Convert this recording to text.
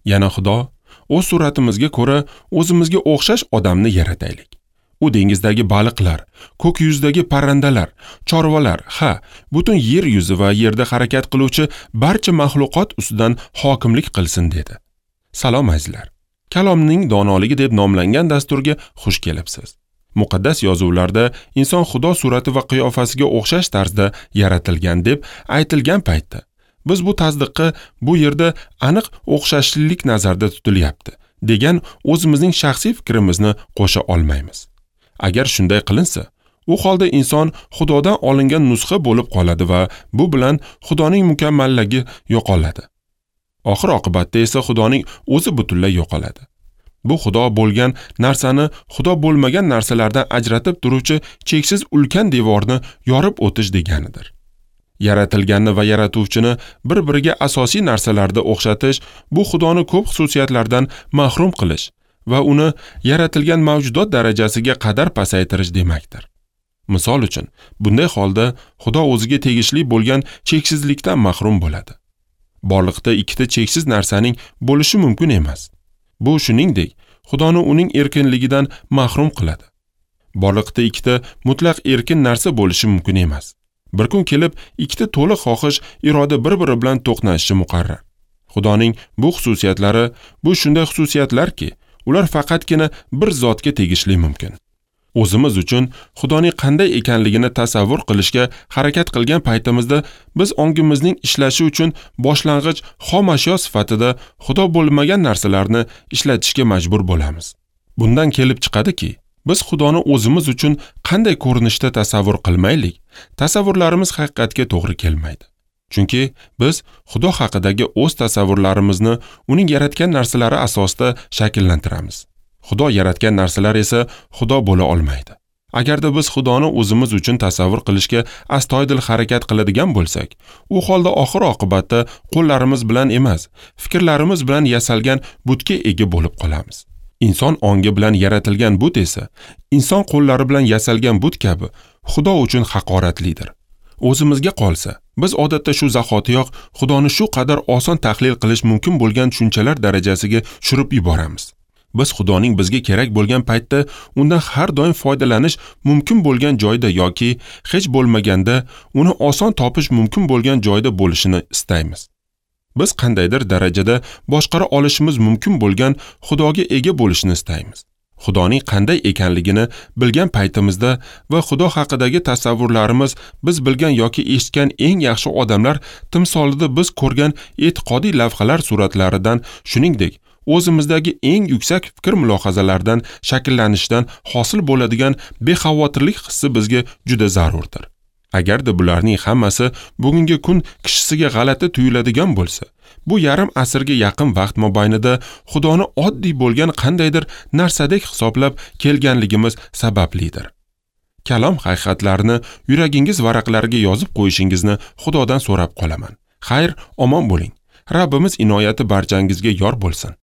Yana Xudo: "O'z suratimizga ko'ra o'zimizga o'xshash odamni yarataylik. U dengizdagi baliqlar, ko'k yuzidagi parrandalar, chorvalar, ha, butun yer yuzi va yerda harakat qiluvchi barcha maxluqot ustidan hokimlik qilsin" dedi. Salom azizlar. Kalomning donoligi deb nomlangan dasturga xush kelibsiz. Muqaddas yozuvlarda inson Xudo surati va qiyofasiga o'xshash tarzda yaratilgan deb aytilgan paytda biz bu tasdiqqa bu yerda aniq o'xshashlik nazarda tutilyapti degan o'zimizning shaxsiy fikrimizni qo'sha olmaymiz. Agar shunday qilinsa, u holda inson Xudodan olingan nusxa bo'lib qoladi va bu bilan Xudoning mukammalligi yo'qoladi. Oxir oqibatda esa Xudoning o'zi butunlay yo'qoladi. Bu Xudo bo'lgan narsani Xudo bo'lmagan narsalardan ajratib turuvchi cheksiz ulkan devorni yorib o'tish deganidir. Yaratilganni va yaratuvchini bir-biriga asosiy narsalarda o'xshatish bu Xudoni ko'p xususiyatlardan mahrum qilish va uni yaratilgan mavjudot darajasiga qadar pasaytirish demakdir. Misol uchun, bunday holda Xudo o'ziga tegishli bo'lgan cheksizlikdan mahrum bo'ladi. Borliqda ikkita cheksiz narsaning bo'lishi mumkin emas. Bu shuningdek, Xudoni uning erkinligidan mahrum qiladi. Borliqda ikkita mutlaq erkin narsa bo'lishi mumkin emas. Bir kun kelib ikkita to'liq xohish iroda bir-biri bilan to'qnashishi muqarrar. Xudoning bu xususiyatlari bu shunday xususiyatlarki, ular faqatgina bir zotga tegishli mumkin. O'zimiz uchun Xudoning qanday ekanligini tasavvur qilishga harakat qilgan paytimizda biz ongimizning ishlashi uchun boshlang'ich xom ashyo sifatida Xudo bo'lmagan narsalarni ishlatishga majbur bo'lamiz. Bundan kelib chiqadiki, biz Xudoni o'zimiz uchun qanday ko'rinishda tasavvur qilmaylik, tasavvurlarimiz haqiqatga to'g'ri kelmaydi. Chunki biz Xudo haqidagi o'z tasavvurlarimizni uning yaratgan narsalari asosida shakllantiramiz. Xudo yaratgan narsalar esa Xudo bo'la olmaydi. Agarda biz Xudoni o'zimiz uchun tasavvur qilishga astoydil harakat qiladigan bo'lsak, u holda oxir oqibatda qo'llarimiz bilan emas, fikrlarimiz bilan yasalgan butga ega bo'lib qolamiz. Inson ongi bilan yaratilgan but esa inson qo'llari bilan yasalgan but kabi Xudo uchun haqoratlidir. O'zimizga qolsa, biz odatda shu zahotiyoq Xudoni shu qadar oson tahlil qilish mumkin bo'lgan tushunchalar darajasiga tushirib yuboramiz. Biz Xudoning bizga kerak bo'lgan paytda undan har doim foydalanish mumkin bo'lgan joyda yoki hech bo'lmaganda uni oson topish mumkin bo'lgan joyda bo'lishini istaymiz. Biz qandaydir darajada boshqara olishimiz mumkin bo'lgan Xudoga ega bo'lishni istaymiz. Xudoning qanday ekanligini bilgan paytimizda va Xudo haqidagi tasavvurlarimiz biz bilgan yoki eshitgan eng yaxshi odamlar timsolida biz ko'rgan e'tiqodiy lavhalar suratlaridan, shuningdek, o'zimizdagi eng yuksak fikr mulohazalardan shakllanishdan hosil bo'ladigan bexavotirlik hissi bizga juda zarurdir. Agarda bularning hammasi bugungi kun kishisiga g'alati tuyuladigan bo'lsa, bu yarim asrga yaqin vaqt mobaynida Xudoni oddiy bo'lgan qandaydir narsadek hisoblab kelganligimiz sabablidir. Kalom haqiqatlarini yuragingiz varaqlariga yozib qo'yishingizni Xudodan so'rab qolaman. Xayr, omon bo'ling. Rabbimiz inoyati barchangizga yor bo'lsin.